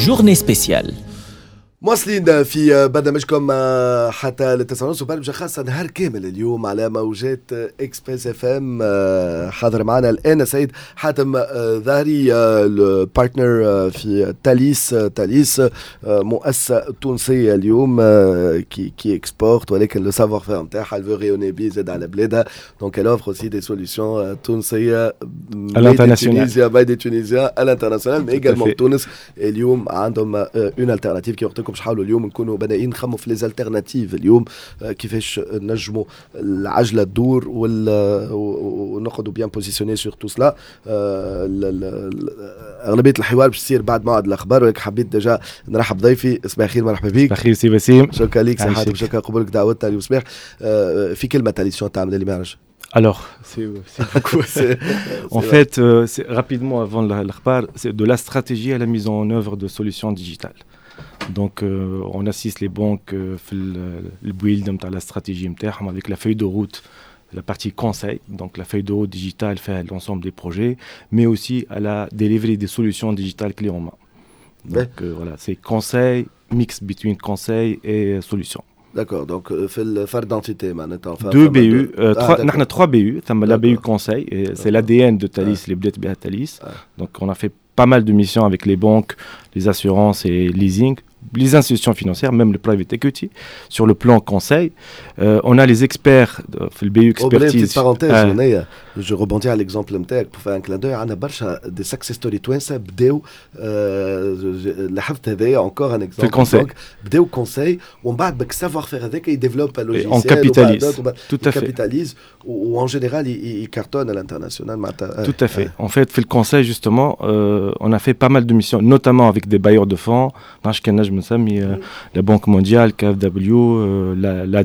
Journée spéciale. مواصلين في برنامجكم حتى ل9:30 وبرمجة خاصة نهار كامل اليوم على موجات Express FM. حاضر معنا الآن سيد حاتم ظاهري، ال partner في Thalys. Thalys مؤسسة تونسية اليوم qui exporte، ولكن le savoir-faire نتاعها elle veut rayonner بيه زاد على بلادها، donc elle offre aussi des solutions تونسية à l'international. made in Tunisia à l'international، mais également تونس. اليوم عندهم une alternative كي قلت لكم باش نحاولوا اليوم نكونوا بنائين، نخموا في les alternatives اليوم، كيفاش نجموا العجلة تدور ونقعدوا bien positionnés sur tout cela. اغلبية الحوار باش تصير بعد موعد الاخبار، ولكن حبيت déjà نرحب ضيفي. صباح الخير، مرحبا بك. صباح الخير سي وسيم. شكرا لك سي حاتم، شكرا قبولك دعوتنا اليوم صباح. في كلمه، Thalys شنو تعمل اللي ما يعرفش؟ Alors, c'est beaucoup. En fait, rapidement avant الأخبار, c'est de la stratégie à la mise en œuvre de solutions digitales. Donc, on assiste les banques في ال build نتاع la stratégie نتاعهم avec la feuille de route, la partie conseil, donc la feuille de route digitale fait l'ensemble des projets, mais aussi à la delivery des solutions digitales clés en main. Donc voilà, c'est conseil, mix between conseil et solution. D'accord, donc في الفرد d'entité معناتها. Deux BU, trois, نحن 3 BU, ثم la BU conseil, et c'est l'ADN de Thalys اللي بدات بها Thalys. Donc on a fait pas mal de missions avec les banques, les assurances et leasing, les institutions financières, même le private equity. Sur le plan conseil, on a les experts في ال BU expertise. Petite parenthèse, je rebondis على l'exemple نتاعك pour faire un clin d'œil. عندنا برشا des success stories توانسة بداو، لاحظت هذايا encore un exemple. في ال conseil. بداو conseil ومن بعد بك savoir-faire هذاك ي développe logiciel. On capitalise. Tout à fait. Capitalise و en général il cartonne à l'international معناتها. Tout à fait. En fait, في ال conseil justement, on a fait pas mal de missions, notamment avec des bailleurs de fonds, نجم نسمي la Banque mondiale, KfW, la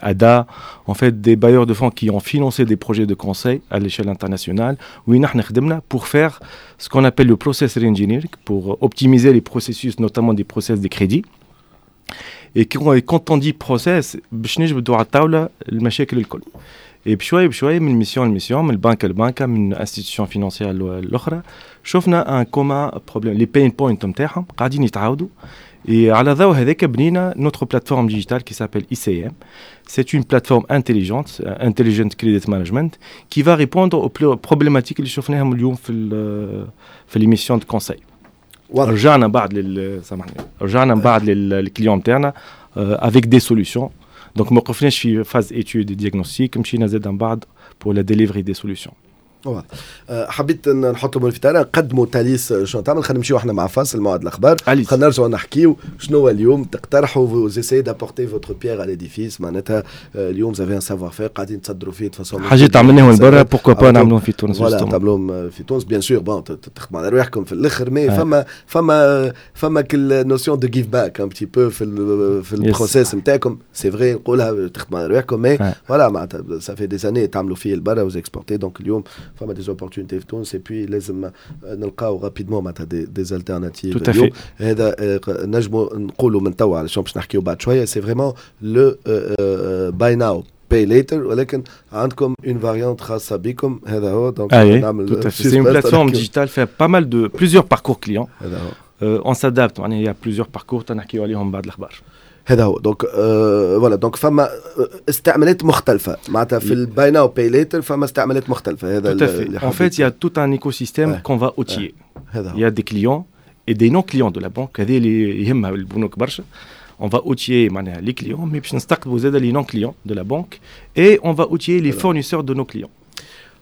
ADA, en fait des bailleurs de fonds qui ont financé des projets de conseil à l'échelle internationale, وين احنا خدمنا pour faire ce qu'on appelle le process engineering, pour optimiser les processus, notamment des process de crédit. Et quand on dit process, باش نجبدوا على الطاولة المشاكل الكل. Et بشوي بشوي من mission ل mission، من البنك للبنكة، من institution financière الاخرى، شفنا un commun problème، les pain points نتاعهم قاعدين يتعاودوا. Et على ضوء هذاك بنينا notre plateforme digitale qui s'appelle ICM. C'est une plateforme intelligente, Intelligent Credit Management, qui va répondre aux problématiques اللي شفناهم اليوم في les missions de conseil. رجعنا بعد لل سامحني، رجعنا من بعد لل client نتاعنا avec des solutions. Donc ما وقفناش في phase étude diagnostic، مشينا زاد من بعد pour la delivery des solutions. واضح. حبيت نحط الامور في تاعنا، نقدموا Thalys شنو تعمل. خلينا نمشيو احنا مع فاصل موعد الاخبار، خلينا نرجعوا نحكيو شنو هو اليوم تقترحوا، vous essayez d'apporter votre pierre à l'édifice. معناتها اليوم vous avez un savoir-faire قاعدين تصدروا فيه façon حاجات عملناهم برا، pourquoi pas نعملوهم في تونس؟ Voilà، تعملوهم في تونس، bien sûr. Bon، تخدموا على رواحكم في الاخر، mais فما كل notion de give back un petit peu في ال process نتاعكم. C'est vrai، نقولها، تخدموا على رواحكم، mais voilà، معناتها ça fait des années تعملوا فيه البرا و vous exportez، donc اليوم فما des opportunités في تونس et puis لازم نلقاو rapidement معناتها des alternatives. Tout à fait. هذا نجموا نقولوا من توا على باش نحكيو بعد شويه، c'est vraiment le buy now pay later، ولكن عندكم une variante خاصة بكم. هذا هو donc نعمل c'est une plateforme digitale فيها pas mal de plusieurs parcours clients. هذا هو. On s'adapte، معناها il y a plusieurs parcours تنحكيو عليهم بعد الاخبار. هذا هو. Donc voilà، donc فما استعمالات مختلفة معناتها في ال buy now pay later، فما استعمالات مختلفه. هذا Tout à fait. En fait, il y a tout un écosystème qu'on va outiller. هذا Il y a des clients et des non clients de la banque، هذه اللي يهمها البنوك برشا. On va outiller معناها les clients، mais باش نستقطبوا زاد les non clients de la banque et on va outiller les fournisseurs de nos clients.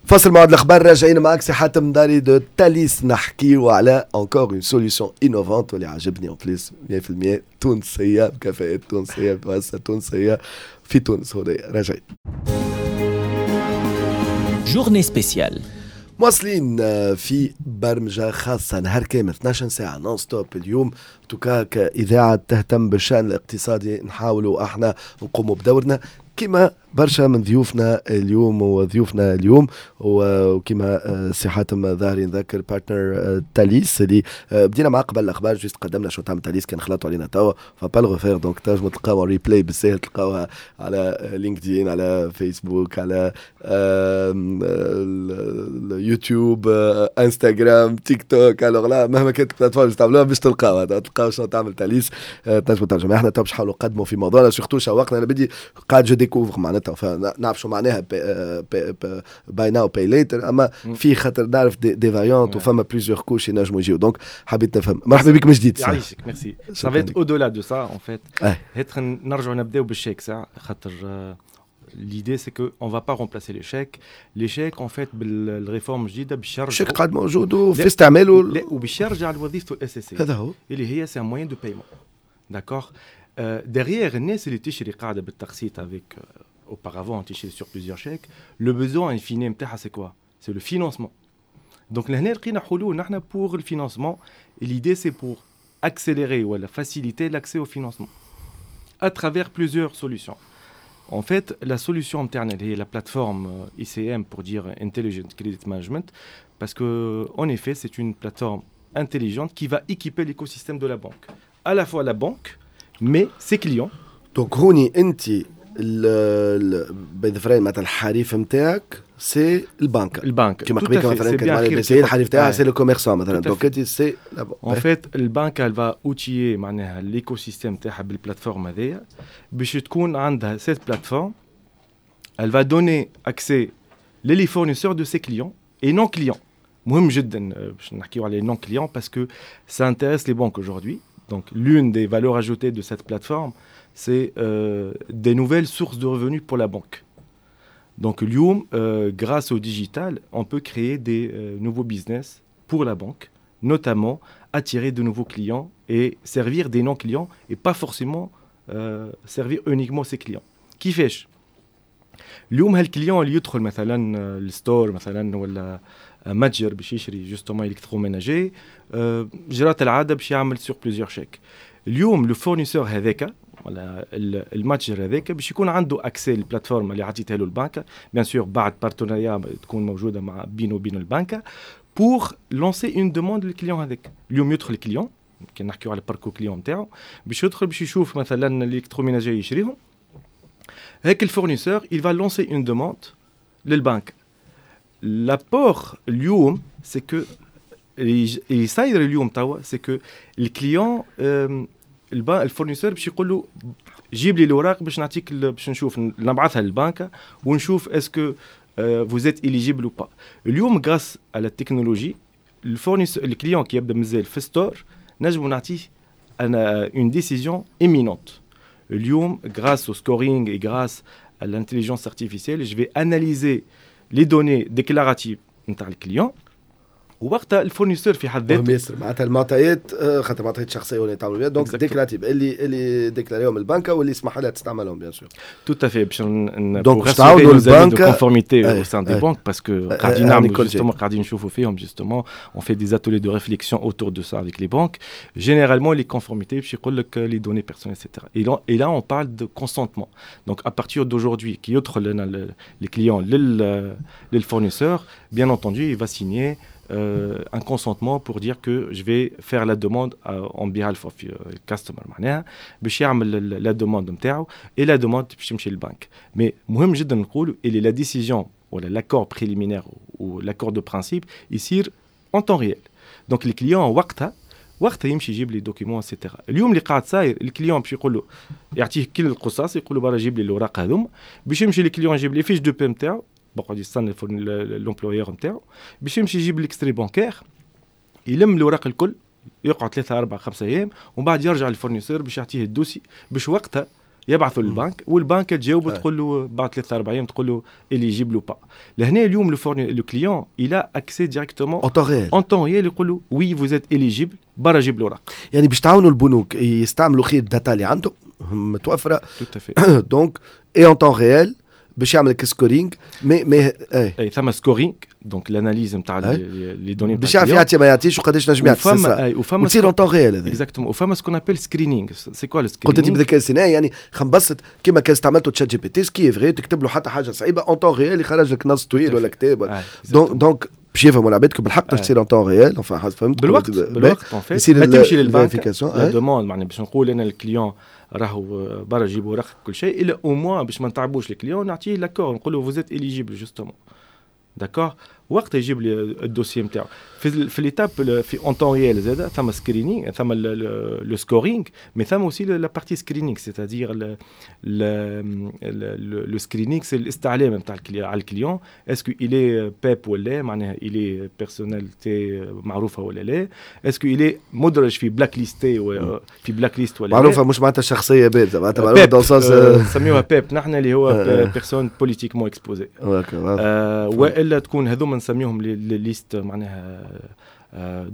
فاصل موعد الاخبار، راجعين معك سي حاتم داري de Thalys، نحكيو على encore une solution innovante واللي عجبني en plus 100% تونسيه، بكفاءات تونسيه، بمؤسسه تونسية في تونس هنا. راجعين. Journée spéciale. مواصلين في برمجة خاصة نهار كامل، 12 ساعة non-stop اليوم. En tout cas كإذاعة تهتم بالشأن الاقتصادي نحاولوا احنا نقوموا بدورنا كما برشا من ضيوفنا اليوم. وضيوفنا اليوم وكما سي حاتم ظاهري، نذكر partenaire Thalys اللي بدينا معاه قبل الاخبار، juste قدمنا شو تعمل Thalys. كان خلطوا علينا توا faut pas le refaire، donc تنجموا تلقاوها replay بالساهل، تلقاوها على LinkedIn، على فيسبوك، على اليوتيوب، انستغرام، تيك توك. alors là مهما كانت ال plateforme تستعملوها باش تلقاوها، تلقاو شنو تعمل Thalys. تنجموا ترجموا. احنا تو باش نحاولوا نقدموا في موضوعنا، surtout شوقنا، انا بدي قاعد je découvre معناتها، نعرف شو معناها buy now pay later، اما في خاطر نعرف des variantes وفما plusieurs couches ينجموا يجيو، donc حبيت نفهم. مرحبا بك من جديد. يعيشك، merci. ça va être au-delà de ça en fait. نرجعوا نبداو بالشيك ساعه، خاطر l'idée c'est que on va pas remplacer les chèques. Les chèques en fait بال réforme الجديدة باش يرجع الشيك قاعد موجود وفي استعماله. لا، وباش يرجع لوظيفته الاساسيه. هذا هو. اللي هي c'est un moyen de paiement، d'accord؟ derrière الناس اللي تشري قاعدة بالتقسيط avec auparavant تشري sur plusieurs chèques، le besoin in fine نتاعها c'est quoi؟ c'est le financement. donc لهنا لقينا حلول نحن pour le financement. l'idée c'est pour accélérer ou faciliter l'accès au financement à travers plusieurs solutions. En fait, la solution interne est la plateforme ICM pour dire Intelligent Credit Management, parce que en effet, c'est une plateforme intelligente qui va équiper l'écosystème de la banque. À la fois la banque, mais ses clients. Donc هوني انت بين مثلا الحريف نتاعك c'est البنك. البنك. كما قبيل مثلا كان BCI الحريف تاعها c'est le commerçant مثلا، donc انت c'est En fait البنك elle va outiller معناها l'écosystème تاعها بال plateforme هذيا، باش تكون عندها cette plateforme elle va donner accès les fournisseurs de ses clients et non clients. مهم جدا باش نحكيو على non clients parce que ça intéresse les banques aujourd'hui. Donc l'une des valeurs ajoutées de cette plateforme, c'est des nouvelles sources de revenus pour la banque. Donc اليوم, grâce au digital, on peut créer des nouveaux business pour la banque, notamment attirer de nouveaux clients et servir des non-clients et pas forcément servir uniquement ses clients. كيفاش؟ اليوم هال client اللي يدخل مثلا ال store مثلا ولا متجر باش يشري justement électroménager، جرات العادة باش يعمل sur plusieurs chèques. اليوم le fournisseur هذاك ولا المتجر هذاك باش يكون عنده accès لل plateforme اللي عطيتها له البنك، bien sûr بعد partenariat تكون موجودة مع بينه وبين البنك، pour lancer une demande لل client هذاك. اليوم يدخل ال client، كي نحكيو على parcours client نتاعو، باش يدخل باش يشوف مثلا l'électroménager يشريهم، هيك ال fournisseur il va lancer une demande للبنك. l'apport اليوم c'est que اللي صاير اليوم توا c'est que ال client، ال fournisseur باش يقول له جيب لي الاوراق باش نعطيك، باش نشوف نبعثها للبنك ونشوف est-ce que vous êtes éligible ou pas. اليوم grâce à la technologie، ال fournisseur، ال client كي يبدا مازال في store نجمو نعطيه انا une décision imminente. اليوم grâce au scoring et grâce à l'intelligence artificielle، je vais analyser les données déclaratives نتاع ال client، ووقتها ال fournisseur في حد ذاته ياسر معناتها المعطيات، خاطر معطيات شخصية ولا يتعاملوا بها، donc déclaratives اللي déclaréهم البنكه واللي يسمح لها تستعملهم bien sûr. tout à fait، باش donc باش تعاونوا البنك conformité au sein des banques، parce que قاعدين نعملوا justement، قاعدين نشوفوا فيهم justement، on fait des ateliers de réflexion autour de ça avec les banques. généralement les conformités باش يقول لك les données personnelles et cetera، et là on parle de consentement. donc à partir d'aujourd'hui كي يدخل لنا les clients لل fournisseur، bien entendu il va signer un consentement pour dire que je vais faire la demande en behalf of customer، معناها باش يعمل la demande نتاعو et la demande باش تمشي للبنك. mais مهم جدا نقول اللي la décision ولا l'accord préliminaire ou l'accord de principe يصير en temps réel. donc ال client وقتها يمشي يجيب les documents et cetera. اليوم اللي قاعد صاير، ال client باش يقول له، يعطيه كل القصاص، يقول له برا جيب لي الاوراق هذوما، باش يمشي ال client يجيب les fiches de paie نتاعو، بقعد يستنى l'employeur نتاعو باش يمشي يجيب l'extrait bancaire، يلم الاوراق الكل، يقعد 3 4 5 ايام ومن بعد يرجع لل fournisseur باش يعطيه ال dossier، باش وقتها يبعثوا للبنك، والبنك تجاوب تقول له بعد 3 4 ايام، تقول له éligible ou pas. لهنا اليوم le client il a accès directement en temps réel. en temps réel، يقول له oui vous êtes éligible، برا جيب الاوراق. يعني باش تعاونوا البنوك يستعملوا خير ال data اللي عندهم متوفره. tout à fait. donc et en temps réel. باش يعمل لك scoring mais اي اي ثم scoring، donc l'analyse نتاع les données. باش يعرف يعطي ما يعطيش وقداش نجم يعطي. وفما وفما وتصير en temps réel هذا. exactement، وفما ce qu'on appelle screening. c'est quoi le screening؟ قلت انت بالذكاء الاصطناعي، يعني خنبسط كيما كان استعملته ChatGPT، ce qui est vrai، تكتب له حتى حاجة صعيبه، en temps réel يخرج لك نص طويل ولا كتاب. donc باش يفهموا العباد بالحق تصير en temps réel، enfin فهمت. بالوقت بالوقت، en fait ما تمشي للبنك la demande، معناها باش نقول انا ال client راهو برا جيب ورق كل شيء، الا au moins باش ما نتعبوش ال client نعطيه l'accord، نقول له vous êtes éligible justement، d'accord. وقت يجيب لي ال dossier نتاعو في l'étape في en temps réel زاد ثم screening، ثم le scoring، mais ثم aussi la partie screening، c'est-à-dire le screening c'est الاستعلام نتاع على ال client، est-ce que il est PEP ولا، معناها il est personnalité معروفة ولا لا، est-ce que il est مدرج في blacklisté، في blacklist ولا. معروفة مش معناتها شخصية بارزه، معناتها معروفة dans sens نسميوها PEP نحن، اللي هو personne politiquement exposée، والا تكون هذوما نسميهم les listes معناها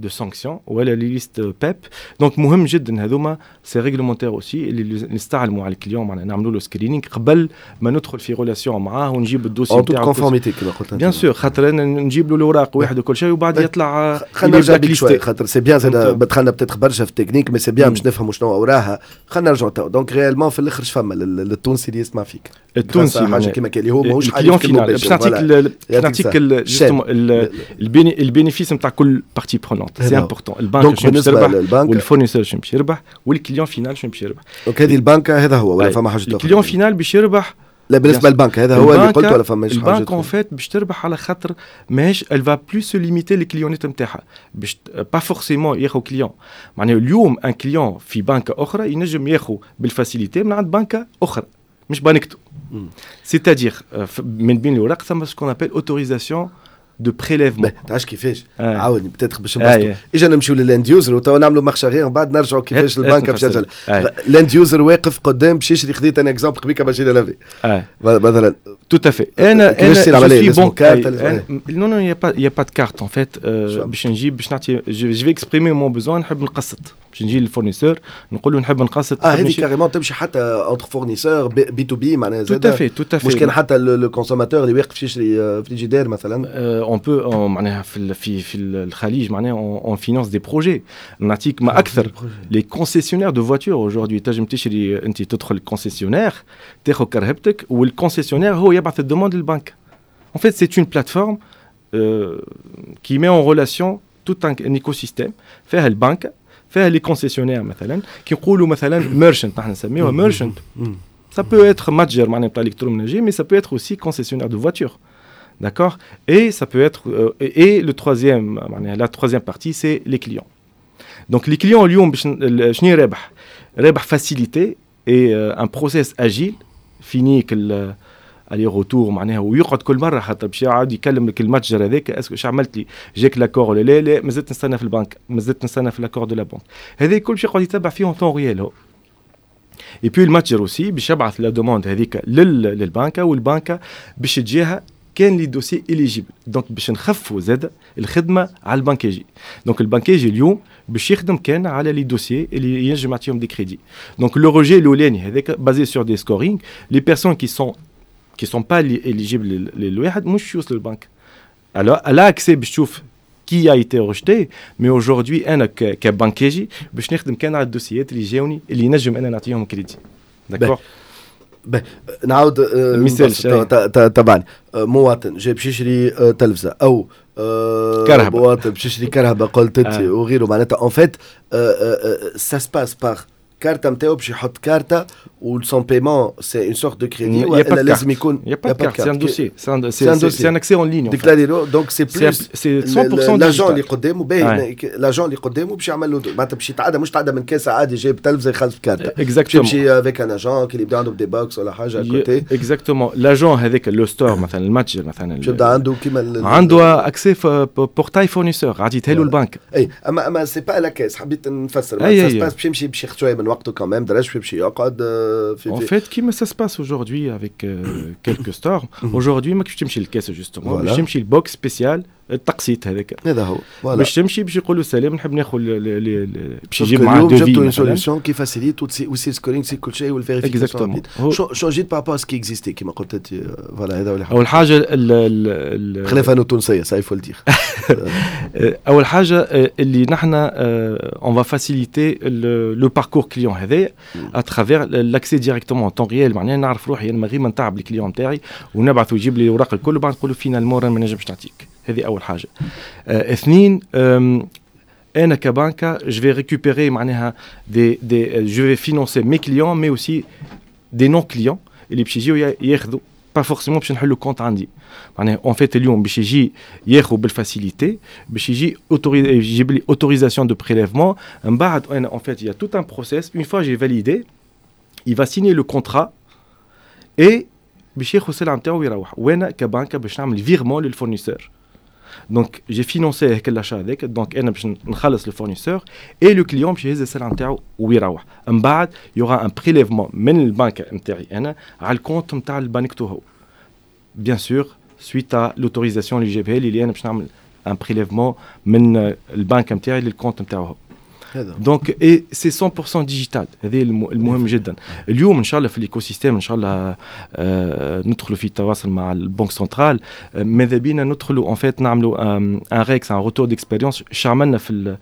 de sanctions ولا les listes PEP. donc مهم جدا هذوما، c'est réglementaire aussi، اللي نستعلموا على ال client، معناها نعملوا له screening قبل ما ندخل في relation معاه ونجيب ال dossier نتاعو. conformité كما قلت. bien sûr، خاطر انا نجيب له الاوراق واحد وكل شيء وبعد يطلع. خلينا نرجع بيك شوي، خاطر c'est bien زاد دخلنا peut-être برشا في ال technique، mais c'est bien باش نفهموا شنو وراها. خلينا نرجعوا تو، donc réellement في الاخر فما للتونسي اللي يسمع فيك؟ التونسي حاجة كيما اللي هو ماهوش client final، باش نعطيك ال bénéfice نتاع كل partie prenante، c'est important. البنك شنو باش يربح، وال fournisseur شنو باش يربح، وال client final شنو باش يربح. donc هذه البنك هذا هو ولا فما حاجة اخرى؟ ال client final باش يربح. لا، بالنسبة للبنك هذا هو اللي قلت ولا فما حاجه؟ البنك en fait باش تربح على خاطر ماهيش elle va plus se limiter les clients نتاعها، باش pas forcément ياخذ client، معناها اليوم un client في بنك اخرى ينجم ياخذ بال facilité من عند بنكه اخرى مش بنكته، c'est-à-dire من بين الاوراق ثم ce qu'on appelle autorisation de prélèvement. تعرفش كيفاش؟ عاودني peut-être باش نبسطوا. اجا نمشيو لل end user وتوا نعملوا marche arrière ومن بعد نرجعوا كيفاش البنك باش ترجع. ال end user واقف قدام باش يشري، خذيت انا exemple قبيلة machine à laver مثلا. Tout à fait. انا je suis banque. Non non، il y a pas de carte en fait. باش نجيب باش نعطي je vais exprimer mon besoin، نحب نقسط، باش نجي لل fournisseur نقول له نحب نقسط. اه هذه carrément تمشي حتى entre fournisseurs B to B معناها؟ زاد tout à fait، tout à fait. مش كان حتى le consommateur اللي واقف يشري فريجيدير مثلا. on peut معناها في الخليج معناها on finance des projets. نعطيك ما اكثر، les concessionnaires de voitures aujourd'hui، تنجم تشري انت، تدخل ال concessionnaire تاخذ كرهبتك وال concessionnaire هو يبعث ال demande للبنك. En fait, c'est une plateforme qui met en relation tout un écosystème فيها البنك، فيها les concessionnaires، مثلا كي نقولوا مثلا merchant، نحن نسميوها merchant، ça peut être متجر معناها بتاع électroménager، mais ça peut être aussi concessionnaire de voitures. D'accord. Et ça peut être et le troisième معناها la troisième partie c'est les clients. Donc les clients اليوم باش شنو رابح؟ رابح facilité et un process agile fini aller-retour، معناها ويقعد كل مرة حتى باش يعاود يكلم لك المتجر هذاك، est-ce que عملت لي جاك l'accord ولا لا؟ لا، مازلت نستنى في البنك، مازلت نستنى في l'accord de la banque. هذا الكل باش يقعد يتبع فيه en temps réel هو. et puis المتجر aussi باش يبعث la demande هذيك للبنكه، والبنكه باش تجيها كان les dossiers éligibles. donc باش نخفوا زاد الخدمة على البنكاجي. donc البنكاجي اليوم باش يخدم كان على les dossiers اللي ينجم يعطيهم des crédits. donc le rejet الاولاني هذاك basé sur des scorings، les personnes qui sont pas éligibles للواحد مش يوصل للبنك. Alors elle a accès باش تشوف qui a été rejeté، mais aujourd'hui انا كبنكاجي باش نخدم كان على الدوسيات اللي جاوني اللي نجم انا نعطيهم crédit، d'accord. نعاود مثال. طبعا مواطن جاي باش يشري تلفزه او كرهبة. مواطن باش يشري كرهبه قلت انت وغيره، معناتها en fait ça se passe par carte نتاعو، باش يحط كارتا و son paiement c'est une sorte de crédit ولا لازم يكون؟ y a pas carte، c'est un dossier، c'est un accès en ligne. déclarer، donc c'est plus c'est 100%. l'agent اللي قدامه، باهي، l'agent اللي قدامه باش يعمل له معناتها باش يتعدى، مش تعدى من caisse عادي جايب تلفزه يخلص بكارتا. exactement. يمشي avec un agent كي يبدا عنده des box ولا حاجة côté. exactement، l'agent هذاك le store مثلا، المتجر مثلا. باش يبدا عنده كيما عنده accès portail fournisseur عطيتها له البنك. اي، اما c'est pas la caisse، حبيت نفسر باش يمشي باش ياخذ شوية من وقته quand même درج باش يقعد في En fait, كيما ça se passe aujourd'hui avec quelques stores. Aujourd'hui, ما كيفاش تمشي لل caisse justement، باش تمشي ال box spécial التقسيط هذاك. هذا هو. باش تمشي باش يقولوا سلام، نحب ناخذ، باش يجيب معاه devis. جبتوا une solution qui facilite aussi scoring، c'est كل شيء وال vérification. شو جيت par rapport à ce qui existait كيما قلت انت؟ voilà، هذا هو. اول حاجة خلاف انه تونسيه، ça il faut le dire. اول حاجة اللي نحن on va faciliter le parcours client هذايا à travers l'accès directement en temps réel. معناها نعرف روحي انا من غير ما نتعب ال client نتاعي ونبعث ويجيب لي الاوراق الكل وبعد نقول له finalement ما نجمش نعطيك. هذه اول حاجه. اثنين، انا كبنكه je vais récupérer معناها des je vais financer mes clients mais aussi des non clients اللي باش يجيو ياخذوا، pas forcément باش نحلو compte عندي. معناها en fait اليوم باش يجي ياخذ بال facilité، باش يجي يجيب لي autorisation de prélèvement. من بعد انا en fait il y a tout un process، une fois j'ai validé، il va signer le contrat et باش ياخذ السلعة نتاعو ويروح، وانا كبنكه باش نعمل virement لل fournisseur. donc j'ai financé هيك l'achat هذاك، donc انا باش نخلص le fournisseur et le client باش يهز السلعة نتاعو ويروح. من بعد il y aura un prélèvement من البنك نتاعي انا على ال compte نتاع البنك هو، bien sûr suite à l'autorisation اللي جابها لي، اللي انا باش نعمل un prélèvement من البنك نتاعي لل compte نتاعو هو. donc et c'est 100% digital، هذه المهم جدا. اليوم ان شاء الله في ال écosystème ان شاء الله ندخلوا في التواصل مع ال banque centrale، ماذا بينا ندخلوا en fait نعملوا un REX، un retour d'expérience، اش عملنا في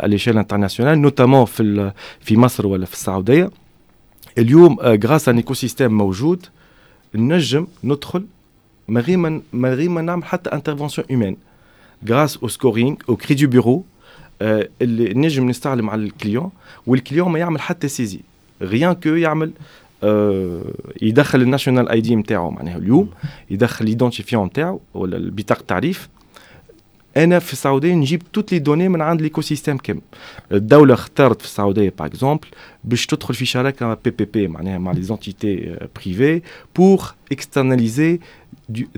l'échelle internationale، notamment في مصر ولا في السعوديه. اليوم grâce à un écosystème موجود نجم ندخل من غير ما نعمل حتى intervention humaine، grâce au scoring، au crédit bureau اللي نجم نستعلم على ال client، وال client ما يعمل حتى saisie، rien que يعمل يدخل ال national ID نتاعو. معناها اليوم يدخل l'identifiant نتاعو ولا البطاقة التعريف، انا في السعودية نجيب toutes les données من عند l'écosystème كامل. الدولة اختارت في السعودية par exemple باش تدخل في شراكة PPP، معناها مع les entités privées، pour externaliser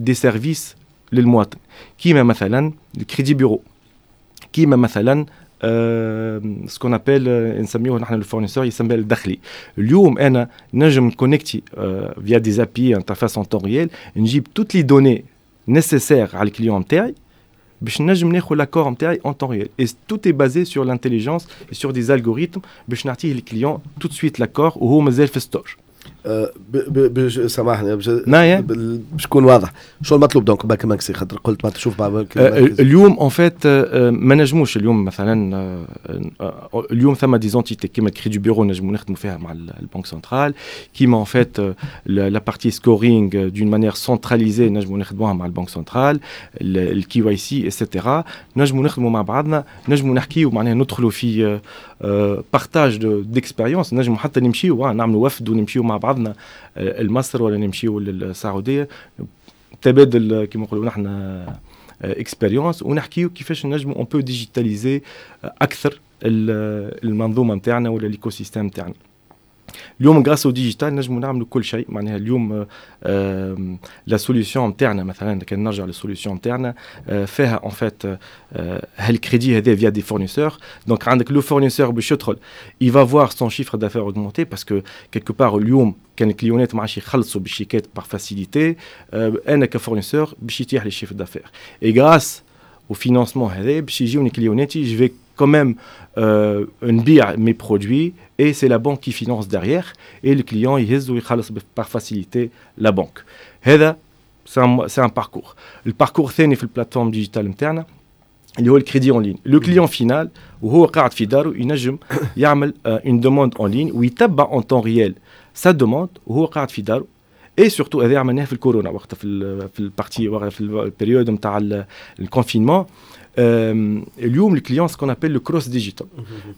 des services للمواطن، كيما مثلا ال crédit bureau، كيما مثلا ce qu'on appelle نسميوه نحن ال fournisseur يسمى الدخلي. اليوم انا نجم connecter via des API، interface en temps réel، نجيب toutes les données nécessaires على ال client نتاعي باش نجم ناخذ l'accord نتاعي en temps réel، et tout est basé sur l'intelligence et sur des algorithmes باش نعطيه ال client tout de suite l'accord وهو مازال في store. سامحني، باش تكون واضح، شو المطلوب donc بنك مركزي؟ خاطر قلت ما تشوف مع بنك. اليوم en fait ما نجموش اليوم مثلا اليوم ثم des entités كيما crédit bureau نجمو نخدموا فيها مع ال banque centrale، كيما en fait la partie scoring d'une manière centralisée نجمو نخدموها مع ال banque centrale، ال KYC et cetera. نجمو نخدموا مع بعضنا، نجمو نحكيو، معناها ندخلوا في partage d'expérience، نجمو حتى نمشيو نعملوا وفد ونمشيو مع بعضنا لمصر ولا نمشيو للسعوديه، تبادل كما نقولوا نحن expérience، ونحكيو كيفاش نجمو on peut digitaliser اكثر المنظومة نتاعنا ولا l'écosystème نتاعنا. اليوم grâce au digital نجمو نعملوا كل شيء. معناها اليوم la solution نتاعنا مثلا، كان نرجع لل solution نتاعنا، فيها en fait هال crédit هذا via des fournisseurs. donc عندك le fournisseur باش يدخل، il va voir son chiffre d'affaires augmenter parce que quelque part اليوم كان ال client ات ما عادش يخلصوا بالشيكات par facilité، انا ك fournisseur باش يتيح لي chiffre d'affaires، et grâce au financement هذا باش يجيوني client اتي، je vais quand même نبيع mes produits et c'est la banque qui finance derrière، et le client يهز ويخلص par facilité la banque. هذا c'est un parcours. ال parcours الثاني في ال plateforme digitale نتاعنا اللي هو ال crédit en ligne. le client final وهو قاعد في داره ينجم يعمل une demande en ligne ويتبع en temps réel sa demande وهو قاعد في داره. et surtout هذا عملناه في الكورونا وقتها، في ال partie في ال période نتاع ال confinement. اليوم le client، ce qu'on appelle le cross digital،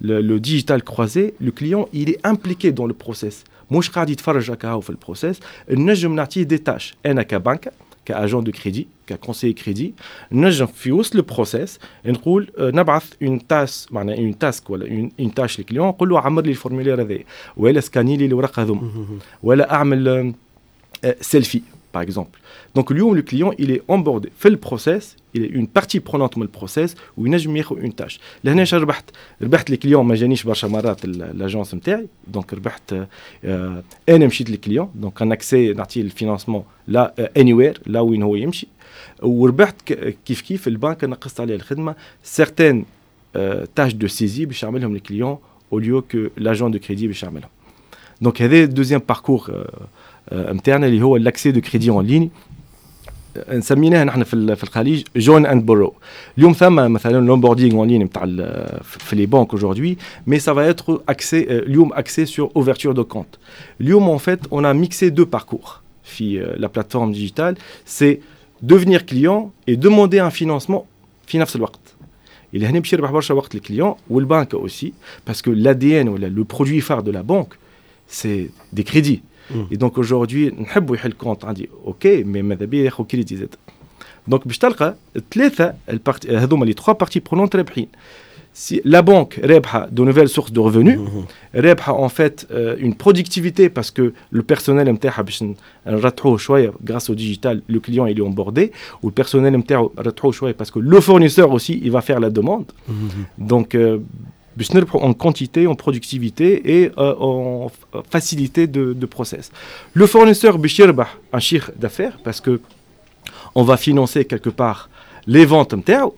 le digital croisé، le client il est impliqué dans le process، مش قاعد يتفرج هكا في ال process. نجم نعطيه des tâches، انا كبنك، ك agent de crédit، ك conseiller crédit، نجم في وسط ال process نقول نبعث une task، معناها une task ولا une tâche لل client، نقول له عمر لي ال formulaire هذا، ولا scanner لي الورق هذوما، ولا اعمل selfie. par exemple. Donc اليوم le client, il est onboardé في ال process, il est une partie prenante من ال process وينجم ياخذ une tâche. لهنا اش ربحت؟ ربحت ال client ما جانيش برشا مرات l'agence نتاعي, donc ربحت انا مشيت لل client, donc un accès نعطيه ال financement là anywhere là وين هو يمشي. وربحت كيف كيف البنك نقصت عليه الخدمه, certaines tâches de saisie باش يعملهم ال client au lieu que l'agent de crédit باش يعملهم. Donc هذا deuxième parcours نتاعنا اللي هو l'accès de crédit en ligne, نسميناها نحن في الخليج join and borrow. اليوم ثم مثلا l'onboarding en ligne نتاع في les banques aujourd'hui, mais ça va être axé اليوم axé sur ouverture de compte. اليوم en fait on a mixé deux parcours في la plateforme digitale, c'est devenir client et demander un financement في نفس الوقت. اللي هنا باش يربح برشا وقت ال client والبنك aussi, parce que l'ADN ولا le produit phare de la banque, c'est des crédits. Et donc aujourd'hui نحبوا يحل compte عندي, OK, mais ماذا بيا ياخذ كريدي زاد. Donc باش تلقى ثلاثه ال parties هذوما, les trois parties prenantes رابحين. Si la banque رابحه de nouvelles sources de revenus, رابحه en fait une productivité, parce que le personnel نتاعها باش نرتحوه شويه grâce au digital, le client, il est onboardé, وال personnel نتاعو رتحوه شويه parce que le fournisseur aussi, il va faire la demande. Donc باش نربحوا en quantité, en productivité et en facilité de process. Le fournisseur باش يربح un chiffre d'affaires parce que on va financer quelque part les ventes نتاعو,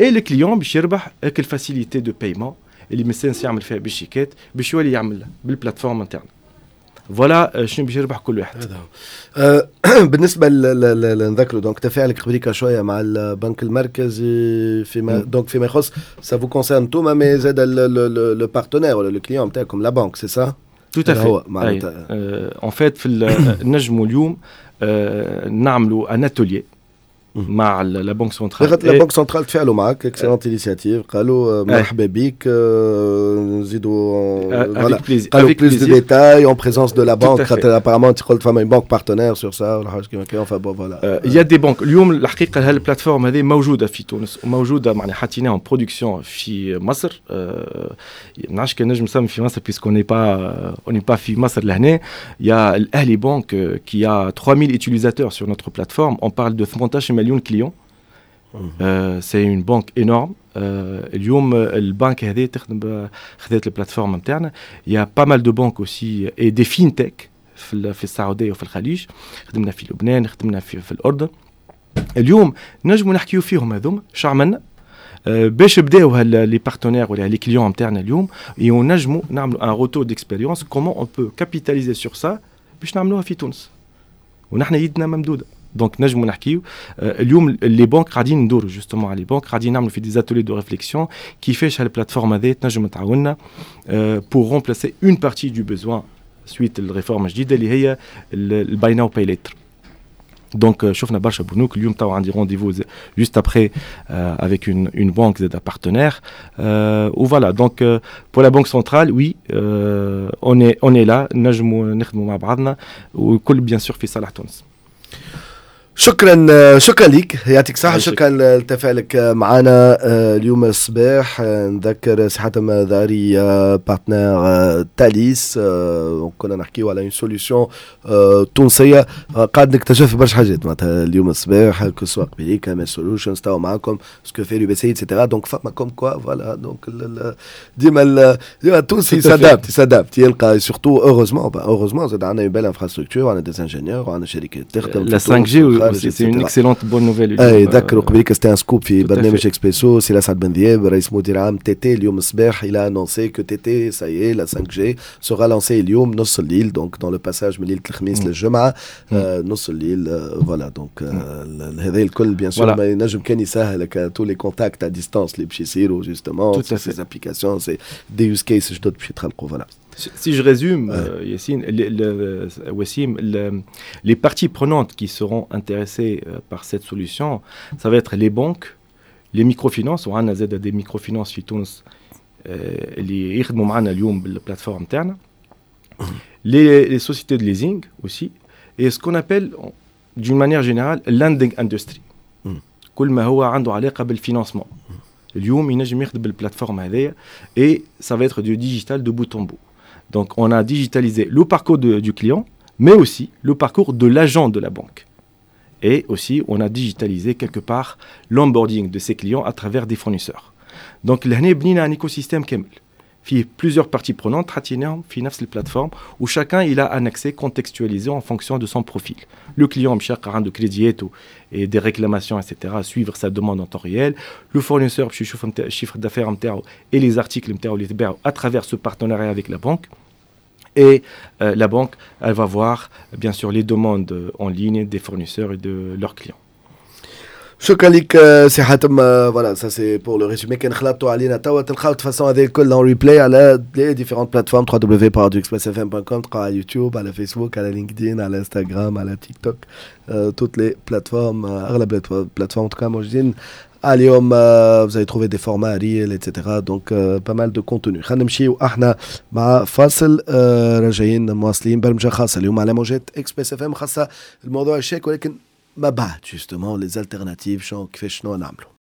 et le client باش يربح هاك ال facilité de paiement اللي مستانس يعمل فيها بالشيكات باش يولي يعمل بال plateforme نتاعنا. Voilà شنو باش يربح كل واحد. هذا بالنسبه نذكروا donc تفاعلك قبليك شويه مع البنك المركزي فيما donc فيما يخص ça vous concerne انتوما, mais زاد le partenaire ولا le client نتاعكم, la banque, c'est ça? Tout à fait. هو معناتها en fait في نجموا اليوم نعملوا un atelier مع la banque centrale. La banque centrale تفاعلوا معك, excellente initiative, قالوا مرحبا بك, نزيدوا voilà قالوا plus de détails en présence de la banque, خاطر apparemment انت قلت فما une banque partenaire sur ça ولا حاجه كيما هكا, enfin bon, voilà. Il y a des banques. اليوم الحقيقه هال plateforme هذه موجوده في تونس وموجوده معناها حطيناها en production في مصر. ما نعرفش كان نجم نسمي في مصر puisqu'on n'est pas on n'est pas في مصر. لهنا il y a الاهلي بانك qui a 3000 utilisateurs sur notre plateforme, on parle de 18 مليون clients. C'est une banque énorme. اليوم البنك هذه تخدم خذت ال plateforme نتاعنا. Il y a pas mal de banques aussi et des fintech في السعوديه وفي الخليج. خدمنا في لبنان, خدمنا في الاردن. اليوم نجموا نحكيو فيهم هذوما شو عملنا باش بداو les partenaires ولا les clients نتاعنا اليوم, ونجموا نعملوا un retour d'expérience, comment on peut capitaliser sur ça باش نعملوها في تونس ونحن يدنا ممدوده. Donc نجموا نحكيو اليوم les banques قاعدين ندوروا justement على les banques, قاعدين نعملوا في des ateliers de réflexion كيفاش هال plateforme هذه تنجم تعاوننا pour remplacer une partie du besoin suite ال réforme الجديده اللي هي ال buy now pay later. Donc شفنا برشا بنوك. اليوم تو عندي rendez-vous juste après avec une banque زاد partenaire و voilà. Donc pour la banque centrale, oui, on est là, نجموا نخدموا مع بعضنا وكل bien sûr في صالح تونس. شكرا, شكرا لك, يعطيك الصحة, شكرا لتفاعلك معنا اليوم الصباح. نذكر سي حاتم ذاري, partenaire تاليس. كنا نحكيو على une solution تونسية. قاعد نكتشف برشا حاجات معناتها اليوم الصباح, que ce soit قبيليك ام solutions تاو معاكم ce que fait l'UBC et cetera. Donc فما comme quoi, voilà, donc ديما ديما التونسي s'adapte, s'adapte, يلقى, surtout heureusement, heureusement زاد عندنا une belle infrastructure, عندنا des ingénieurs, عندنا شركات تخدم. La 5G, c'est une excellente bonne nouvelle. اي ذكروا قبليك, c'était un scoop في برنامج اكسبريسو, سي اسعد بن ذياب رئيس مدير عام TT اليوم الصباح il a annoncé que TT, ça y est, la 5G sera lancée اليوم نص الليل, donc dans le passage من ليله الخميس للجمعه نص الليل. Voilà, donc هذا الكل bien sûr ما ينجم كان يسهل tous les contacts à distance اللي باش يصيروا, justement ces applications, c'est des use cases جدد باش يتخلقوا, voilà. Si je résume, Yassine, Wassim, les parties prenantes qui seront intéressées par cette solution, ça va être les banques, les microfinances, وعندنا زاد des microfinances في تونس اللي يخدموا معنا اليوم بال plateforme تاعنا, les sociétés de leasing aussi, et ce qu'on appelle d'une manière générale lending industry. كل ما هو عنده علاقة بال financement. اليوم ينجم يخدم بال plateforme هذايا et ça va être du digital de bout en bout. Donc on a digitalisé le parcours du client, mais aussi le parcours de l'agent de la banque. Et aussi, on a digitalisé quelque part l'onboarding de ces clients à travers des fournisseurs. Donc, لهنا بنينا un écosystème كامل فيه plusieurs parties prenantes حطيناهم في نفس ال plateforme où chacun il a un accès contextualisé en fonction de son profil. Le client باش يلقى عنده كريدياته et des réclamations, etc., suivre sa demande en temps réel. Le fournisseur باش يشوف ال chiffre d'affaires نتاعو et les articles نتاعو اللي تباعوا à travers ce partenariat avec la banque. Et la banque, elle va voir bien sûr les demandes en ligne des fournisseurs et de leurs clients. شكرا لك سي حاتم. Voilà, ça c'est pour le résumé. كان خلطتوا علينا توا تلقاو de toute façon هذه الكل en replay على les différentes plateformes, www.expressfm.com. تلقاو على يوتيوب، على فيسبوك، على LinkedIn، على انستغرام، على TikTok, toutes les plateformes, اغلب les plateformes en tout cas موجودين. اليوم vous allez trouver des formats reels, etc., donc pas mal de contenu. خلينا نمشيو احنا مع فاصل، راجعين مواصلين برمجة خاصة اليوم على موجات Express FM، خاصة الموضوع الشيك ولكن ما بعد justement les alternatives شنو كيفاش شنو نعملوا.